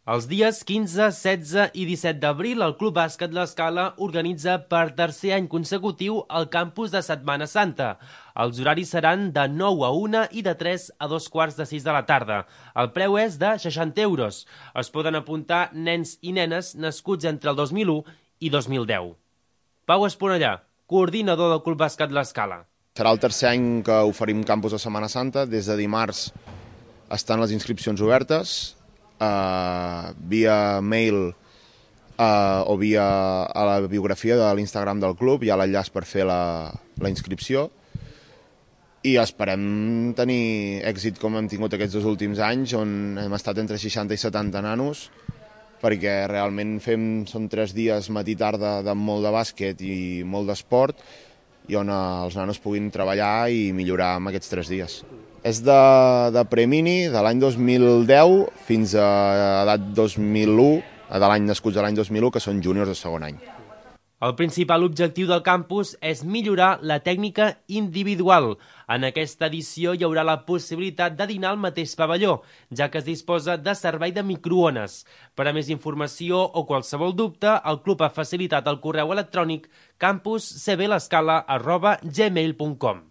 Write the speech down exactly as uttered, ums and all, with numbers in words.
Els dies quinze, setze i disset d'abril, el Club Bàsquet L'Escala organitza per tercer any consecutiu el campus de Setmana Santa. Els horaris seran de nou a una i de tres a dos quarts de sis de la tarda. El preu és de seixanta euros. Es poden apuntar nens i nenes nascuts entre el dos mil u i dos mil deu. Pau Esponellà, coordinador del Club Bàsquet L'Escala. Serà el tercer any que oferim campus de Setmana Santa. Des de dimarts estan les inscripcions obertes. Uh, via mail uh, o via a la biografia de l'Instagram del club hi ha l'enllaç per fer la, la inscripció i esperem tenir èxit com hem tingut aquests dos últims anys, on hem estat entre seixanta i setanta nanos, perquè realment fem, són tres dies matí-tarda de molt de bàsquet i molt d'esport, i on els nanos puguin treballar i millorar en aquests tres dies. És de, de premini de l'any dos mil deu fins a edat dos mil u, de l'any nascuts a l'any dos mil u, que són júniors de segon any. El principal objectiu del campus és millorar la tècnica individual. En aquesta edició hi haurà la possibilitat de dinar al mateix pavelló, ja que es disposa de servei de microones. Per a més informació o qualsevol dubte, el club ha facilitat el correu electrònic campus c b l'escala arroba gmail punt com.